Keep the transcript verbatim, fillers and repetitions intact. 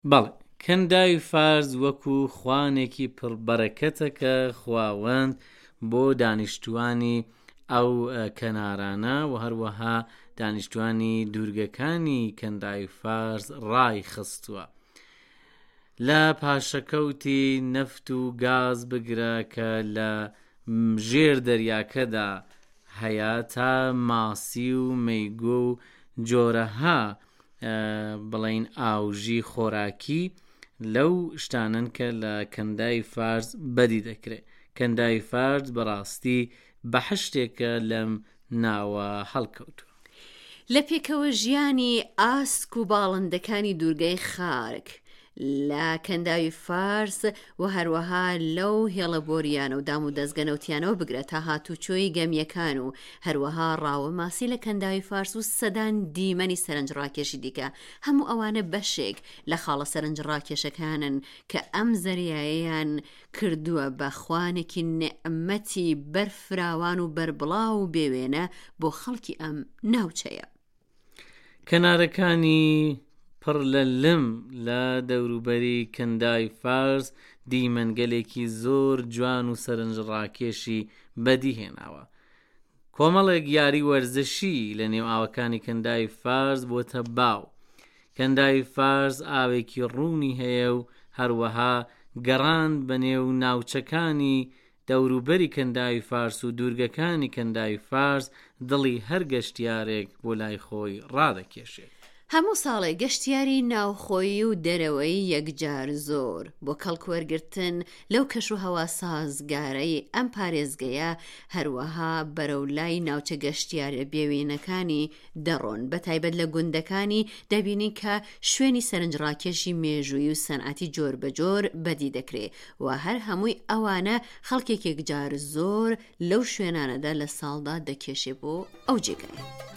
بەڵێ، کەنداوی فارس وەکو خوانێکی پڕ بەرەکەتە کە خواوەند بۆ دانیشتوانی ئەو کەنارانە و هەروەها دانیشتوانی دوورگەکانی کەنداوی فارس ڕایخستووە. لە پاشەکەوتی نەفت و گاز بگرە کە لە ژێر دەریاکەدا هەیە تا ماسی و مەیگۆ و جۆرەها بڵێین ئاوژی خۆراکی لەو شتانەن کە لە کەنداوی فارس بەدی دەکرێت. کەنداوی فارس بەڕاستی بەحشتێکە لەم ناوە هەڵکەوتووە. لە پێکەوە ژیانی ئاسک و باڵندەکانی دوورگەی خارک لە کەنداوی فارس و هەروەها لەو هێڵە بۆریانە و دام و دەزگە نەوتیانەوە بگرە تا هاتوچۆی گەمیەکان و هەروەها ڕاوە ماسی لە کەنداوی فارس و سەدان دیمەنی سەرنجڕاکێشی دیکە هەموو ئەوانە بەشێک لە خاڵە سەرنجڕاکێشەکانن کە ئەم زەریایەیان کردووە بە خوانێکی نیعمەتی بەرفراوان و بەربڵاو و بێوێنە بۆ خەڵکی ئەم ناوچەیە. کەنارەکانی پڕ لە لم لە دەوروبەری کەنداوی فارس دیمەنگەلێکی زۆر جوان و سەرنجڕاکێشی بەدیهێناوە. کۆمەڵێک یاری وەرزشی لە نێو ئاوەکانی کەنداوی فارس بۆتە باو. کەنداوی فارس ئاوێکی ڕوونی هەیە و هەروەها گەڕان بە نێو ناوچەکانی دەوروبەری کەنداوی فارس و دوورگەکانی کەنداوی فارس دڵی هەر گەشتیارێک بۆ لای خۆی ڕادەکێشێت. هەموو ساڵێک گەشتیاری ناوخۆیی و دەرەوەیی یەکجار زۆر بۆ کەڵکوەرگرتن لەو کەشوهەوا سازگارەی ئەم پارێزگەیە، هەروەها بەرەو لای ناوچە گەشتیاریە بێوێنەکانی دەڕۆن، بەتایبەت لە گوندەکانی دەبینین کە شوێنی سەرنجڕاکێشی مێژوویی و سەنعەتی جۆربەجۆر بەدی دەکرێ و هەر هەمووی ئەوانە خەڵکێک یەکجار زۆر لەو شوێنانەدا لە ساڵدا دەکێشێ بۆ ئەو جێگایە.